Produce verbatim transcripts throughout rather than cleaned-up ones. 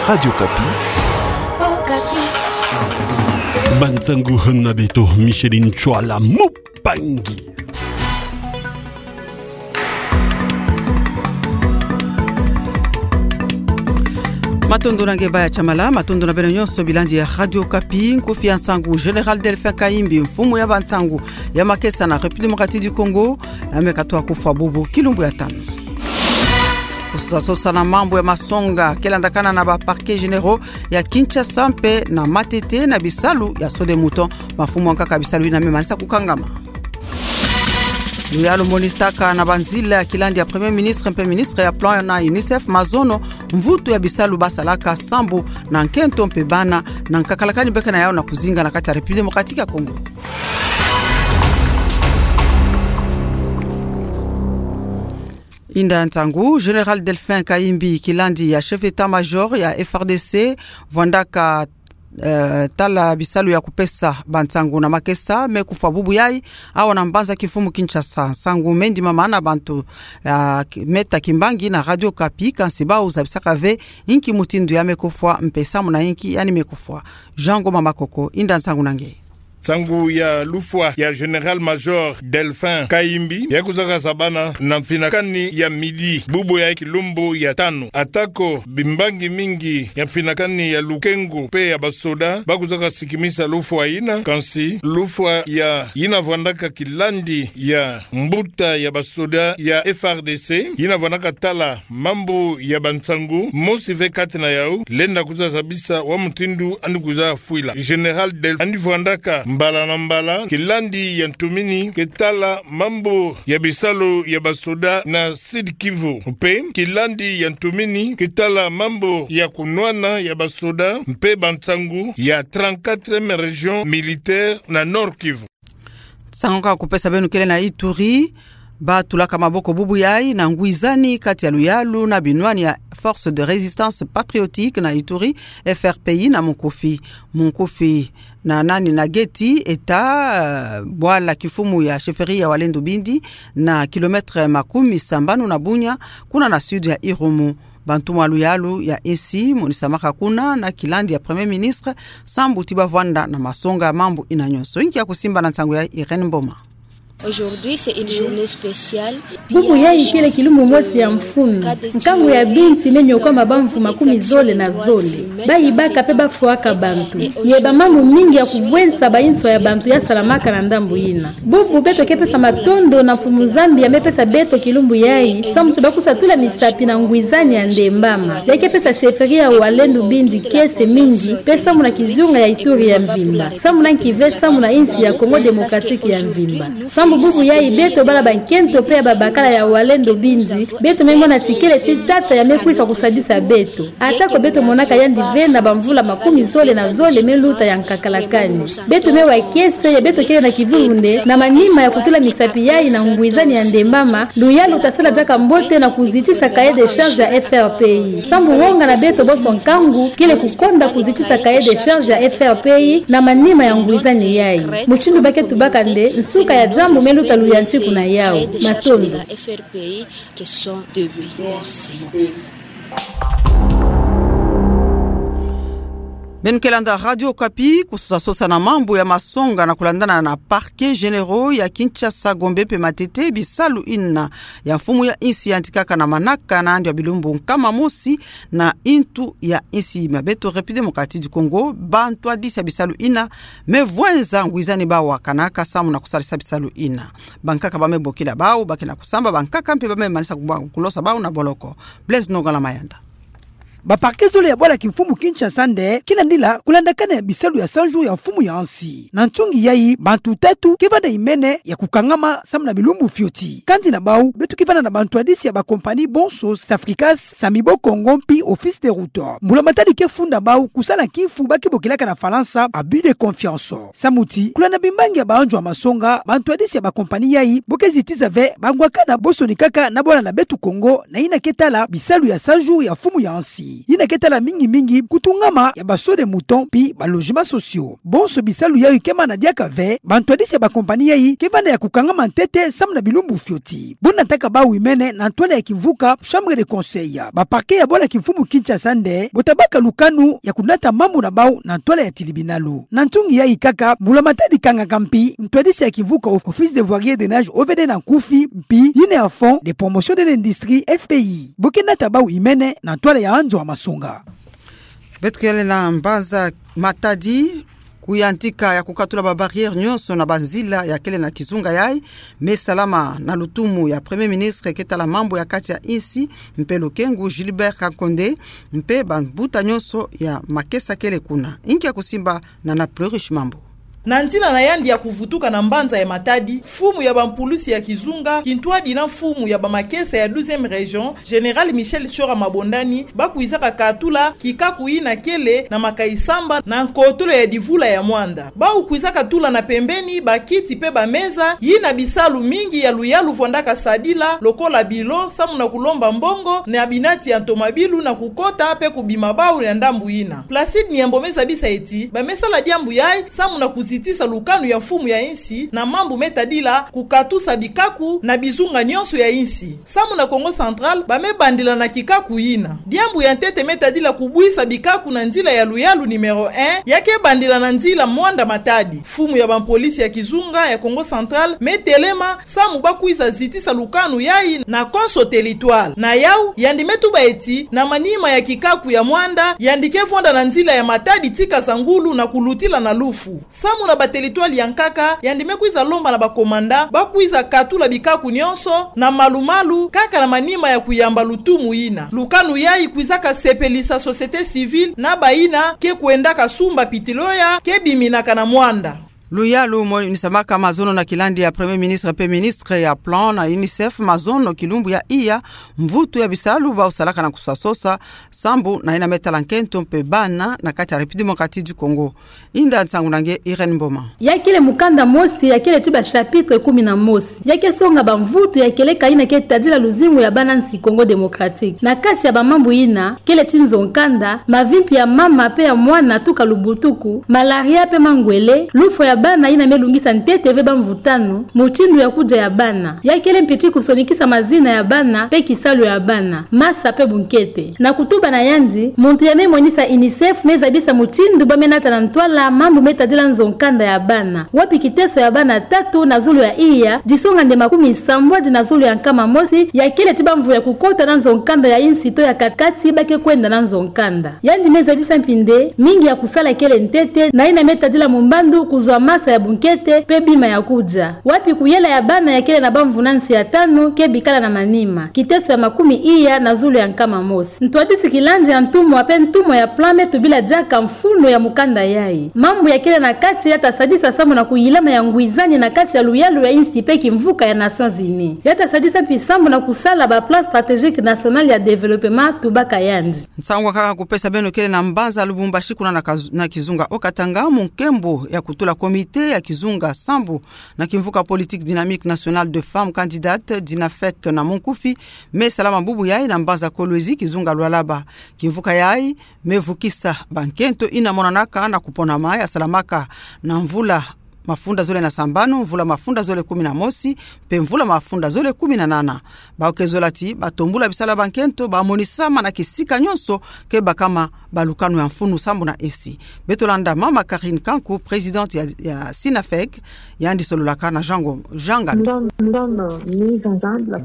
Radio Okapi. Bansangu na beto, Micheline Tshuala Mupangi. Matondo na nge baya tsha mala, matondo na beno nyonso bilandi ya Radio Okapi. Nkufi ya nsangu: Général Delphin Kayimbi, mfumu ya bansangu ya makesa na République Démocratique du Congo, ameka twa kufwa bubu kilumbu ya tanu. Kusosa sosa na mambu ya masonga ke landakana na ba parquets généraux ya Kinshasa mpe na Matete na bisalu ya saut-de-mouton. Mafumu ya nkaka bisalu yina me manisa kukangama. Luyalu monisaka na banzila ya kilandi ya Premier Ministre mpe Ministre ya Plan na UNICEF mazono mvutu ya bisalu basalaka sambu na nkento mpe bana na nkakalakani beka na yau na kuzinga na kati ya République Démocratique ya Congo. Inda nsangu: Général Delphin Kayimbi, kilandi ya chef d'état-major ya F R D C, vwandaka, eh, tala bisalu ya kupesa bansangu na makesa, me kufwa bubu yai awa na mbanza kimfumu Kinshasa. Nsangu me ndimama na bantu, ah, ki-, meta kimbangi na Radio Okapi, kansi bau zabisaka ve inki mutindu ya me kufwa mpe samu na inki yandi me kufwa. Jean Ngoma Makoko, inda nsangu na nge. Nsangu ya lufwa ya Général-Major Delphin Kayimbi ya kuzaka zabana na mfinakani ya midi bubu ya kilumbu ya tanu. Atako bimbangi mingi ya mfinakani ya lukengo mpe ya basoda ba kuzaka sikimisa lufwa yina, kansi lufwa ya yina vwandaka kilandi ya mbuta ya basoda ya F R D C, yina vwandaka tala mambu ya bansangu, mosi ve kati na yau lenda kuza zabisa wa mutindu yandi kuza fwila. Général Delphin yandi vwandaka mbala na mbala kilandi ya ntumini ke tala mambu ya bisalu ya basoda na Sud-Kivu, mpe kilandi ya ntumini ke tala mambu ya kunwana ya basoda mpe bansangu ya trente-quatrième région militaire na Nord-Kivu. Nsangu ka kupesa beno kele na Ituri. Batulaka maboko bubu yai na ngwizani kati ya luyalu na binwani ya Force de Résistance Patriotique na Ituri, F R P I na munkufi. Munkufi na nani na Geti, eta, eh, bwala kimfumu ya chefferie ya Walendu Bindi, na kilomètre makumi sambanu na Bunia, kuna na sud ya Irumu. Bantu mwa luyalu ya insi monisamaka kuna na kilandi ya Premier Ministre, sambu ti bavwanda na masonga ya mambu yina nyonso. Inki ya kusimba na nsangu ya Irène Mboma. Aujourd'hui, c'est une journée spéciale. Bubu yai kele kilumbu mosi ya mfunu. Nkangu ya binti me nyokwama bamvu makumi zole na zole. Bayibaka mpe bafwaka bantu. Ye bamambu mingi ya kuvwensa bayinswa ya bantu ya salamaka na ndambu yina. Bubu beto ke pesa matondo na Mfumu Nzambi ya me pesa beto kilumbu yai, sambu ti bakusa tula misapi na ngwizani ya ndembama. Ya ke pesa chefferie ya Walendu Bindi kiese mingi, mpe sambu na kizunga ya Ituri ya mvimba. Sambu na nki ve, sambu na insi ya Congo Démocratique ya mvimba. Sambu bubu yai beto bala bankento mpe ya babakala ya Walendu Bindi, beto me mona ti kele ti tata ya me kwisa kusadisa beto. Atako beto monaka yandi ve na bamvula makumi zole na zole me luta ya nkakalakani. Beto me wa kiese ya beto kele na kivuvunde na manima ya kutula misapi yai na ngwizani ya ndembama, luyalu ta sala diaka mbote na kuzitisa cahier de charge ya F R P I. Sambu wonga na beto bonso nkangu kele kukonda kuzitisa cahier de charge ya F R P I na manima ya ngwizani yai. Mutindu ba ke tubaka nde, nsuka ya diambu me luta luyantiku na yau. Matondo. Beno ke landa Radio Okapi, kusosa sosa na mambu ya masonga na kulandana na parquets généraux ya Kinshasa, Gombe mpe Matete, bisalu yina ya mfumu ya insi yantikaka na manaka na yandi ya bilumbu nkama mosi na intu ya insi ya beto République Démocratique du Congo, bantwadisi ya bisalu yina me vwenza ngwizani bawu kanaka samu na kusalisa bisalu yina. Bankaka ba me bokila bawu, ba ke na kusamba, bankaka mpe ba me manisa kubwa kulosa bawu na boloko. Blaise Nongala Mayanda. Ba parquets zole ya bwala kimfumu Kinshasa nde ke landila kulandakana ya bisalu ya cent jours ya mfumu ya insi. Na ntungi yai, bantu tatu ke vanda imene ya kukangama samu na bilumbu fioti. Kati na bawu, beto ke vanda na bantwadisi ya ba compagnies bonso, Safricas, Samibo Congo mpi Office des Routes. Mbula matadi ke funda bawu kusala kimfu ba ke bokilaka na Falansa abus de confiance. Samu ti kulanda bimbangi ya bayanjwa masonga, bantwadisi ya ba compagnies yai bo ke zitiza ve bangwakana bo sonikaka na bwala na beto Congo na yina ke tala bisalu ya cent jours ya mfumu ya insi. yina ke tala mingi mingi kutungama ya ba saut de mouton mpi ba logements sociaux. Bonso bisalu yayi ke mana diaka ve, bantwadisi ya ba compagnie yayi ke vanda ya kukangama ntete samu na bilumbu fioti. Buna taka bau imene na ntwala ya kimvuka Chambre de Conseil, ba parquet ya bwala kimfumu Kinshasa nde bo tabaka lukanu ya kunata mambu na bau na ntwala ya tilibinalu. Na ntungi yayi kaka, mbula matadi kangaka mpi ntwadisi ya kimvuka Office de Voirie et Drainage, O V D na nkufi, mpi yina ya Fonds de Promotion de l'Industrie, F P I, bo ke nata bau imene na ntwala ya Anzo Hamasonga. Beto kele na mbanza Matadi, kuyantika ya kukatula ba barrières nyonso na banzila ya kele na kizunga yayi, me salama na lutumu ya Premier Ministre ke tala mambu ya kati ya insi mpe lukengu, Gilbert Kakonde, mpe bambuta nyonso ya makesa kele kuna. Inki ya kusimba na na Plurish Mambu? Na nzila na yandi ya kuvutuka na mbanza ya Matadi, mfumu ya bampulusi ya kizunga, kintwadi na mfumu ya bamakesa ya douzième région, Général Michel Tshora Mabondani, bakwizaka katula kikaku yina kele na Makayi Samba na nkotolo ya divula ya mwanda. Bau kwizaka tula na pembeni bakiti mpe bameza yina bisalu mingi ya luyalu vwandaka sadila, lokola bilo, samu na kulomba mbongo na binati ya ntomabilu na kukota mpe kubima bau ya ndambu yina. Placide Nyambo me zabisa ti bamesala diambu yayi samu na kuzitisa lukanu ya mfumu ya insi na mambu me tadila kukatusa bikaku na bizunga nyonso ya insi. Samu na Kongo Central, bamebandila na kikaku yina. Diambu ya ntete me tadila kubwisa bikaku na nzila ya luyalu numéro un, ya ke bandila na nzila Muanda-Matadi. Mfumu ya bampolisi ya kizunga ya Kongo Central me telema samu bakwiza zitisa lukanu yayi na konso territoire. Na yau, yandi me tuba ti, na manima ya kikaku ya mwanda, yandi ke vwanda na nzila ya Matadi tii Kasangulu na kulutila na Lufu. Samu na baterritware ya nkaka, yandi me kwiza lomba na bakomanda bakwiza katula bikaku nyonso na malu-malu, kaka na manima ya kuyamba lutumu yina. Lukanu yayi kwizaka sepelisa société civile na bayina ke kwendaka sumba pétrole ke biminaka na mwanda. Luyalu mo nisamaka mazono na kilandi ya Premier Ministre mpe Ministre ya Plan na UNICEF, mazono kilumbu ya iya, mvutu ya bisalu bau salaka na kusasosa, sambu na yina me tala nkento mpe bana na kati ya République Démocratique du Congo. Inda nsangu na nge Irène Mboma. Ya kele mukanda mosi, ya kele tii ba chapitres kumi na mosi. Ya ke songa bamvutu ya kieleka yina ke tadila luzingu ya bana nsi Congo Démocratique. Na kati ya bamambu yina, kele tii nzo-nkanda, mavimpi ya mama mpe ya mwana tuka lubutuku, malaria mpe mangwele, lufwa ya bana yina me lungisa ntete ve bamvutano, mutindu ya kudia ya bana. Ya kele mpi tii kusonikisa mazina ya bana mpe kisalu ya bana, masa mpe bunkete. Na kutuba na yandi, muntu ya me monisa UNICEF me zabisa mutindu ba me nata na ntwala mambu me tadila nzo-nkanda ya bana. Wapi kiteso ya bana tatu na zulu ya iya, disonga nde makumi sambwadi na zulu ya nkama mosi, ya kele tii bamvu ya kukota na nzo-nkanda ya insi to ya kati-kati ba ke kwenda na nzo-nkanda. Yandi me zabisa mpi nde, mingi ya kusala kele ntete, na yina me tadila mumbandu kuzwa masa ya bunkete, mpe bima ya kudia. Wapi kuyela ya bana ya kele na bamvu na nsi ya tanu, ke bikala na manima. Kiteso ya makumi iya na zulu ya nkama mosi. Ntwadisi kilandi ya ntumwa mpe ntumwa ya Plan me tubila diaka mfunu ya mukanda yayi. Mambu ya kele na kati ya ta sadisa samu na kuyilama ya ngwizani na kati ya luyalu ya insi mpe kimvuka ya Nations Unies. Ya ta sadisa mpi samu na kusala ba Plan Stratégique National ya Développement, tubaka yandi. Nsangu kaka kupesa beno kele na mbanza Lubumbashi kuna na kazu-, na kizunga Haut-Katanga, mu nkembo ya kutula comité ya kizunga sambu na kimvuka politique Dynamique Nationale de Femmes Candidates, DINAFEC na munkufi, me salama bubu yayi na mbanza Kolwezi, kizunga Lualaba. Kimvuka yayi me vukisa bankento yina monanaka na kuponama ya salamaka na mvula mafunda zole na sambanu, mvula mafunda zole kumi na mosi, mpe mvula mafunda zole kumi na nana. Bau ke zola ti ba tombula bisalu ya bankento ba monisama na kisika nyonso ke bakama balukanu ya mfunu sambu na insi. Beto landa mama Karine Kanku, présidente ya, ya SYNAFEC, yandi sololaka na Jean Ngo-, Jean Ngami.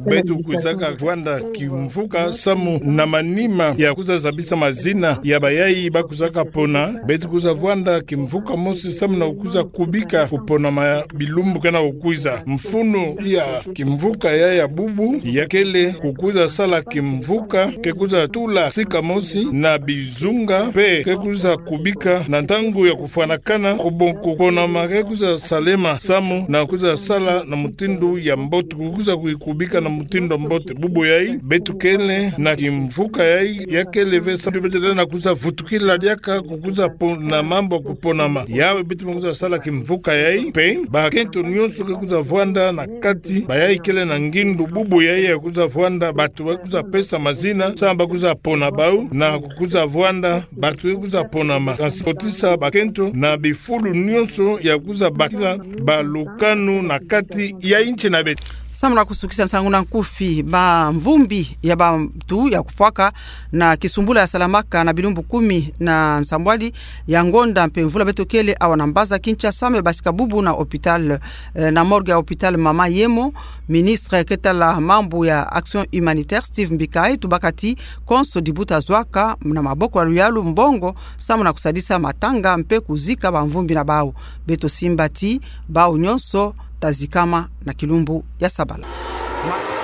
Beto kwizaka vwanda kimvuka samu na manima ya kwiza zabisa mazina ya bayayi ba kwizaka pona. Beto kwiza vwanda kimvuka mosi samu na kwiza kubika kuponama bilumbu kena kukwiza. Mfunu ya kimvuka ya ya bubu ya kele kukwiza sala kimvuka ke kwiza tula sika mosi na bizunga mpe ke kwiza kubika na ntangu ya kufwanakana, kubon-, kuponama ke kwiza salema samu na kwiza sala na mutindu ya mbote, kwiza kubika na mutindu ya mbote. Bubu yayi, beto kele na kimvuka yayi, ya kele ve samu beto lenda kwiza vutukila diaka kukwiza po-, na mambu ya kuponama. Yayi beto me kwiza sala kimvuka Yai mpe bakento nyonso ke kwiza vwanda na kati, bayai kele na ngindu bubu yai ya kwiza vwanda, bato ba kwiza pesa mazina samu ba kwiza pona bau, na kwiza vwanda bato ke kwiza ponama, na kotisa bakento na bifulu nyonso ya kwiza bakila balukanu na kati ya inchi na beto. Samu na kusukisa nsangu na nkufi, bamvumbi ya bantu ya kufwaka na kisumbula ya salamaka na bilumbu kumi na nsambwadi ya ngonda mpe mvula beto kele awa na mbaza Kinshasa me basika bubu na hôpital, eh, na morgue ya hôpital Mama Yemo. Ministre ke tala mambu ya action humanitaire, Steve Mbikayi, tubaka ti konso dibu ta zwaka na maboko ya luyalu mbongo samu na kusadisa matanga mpe kuzika bamvumbi na bau. Beto simba ti bau nyonso ta zikama na kilumbu ya sabala. Ma-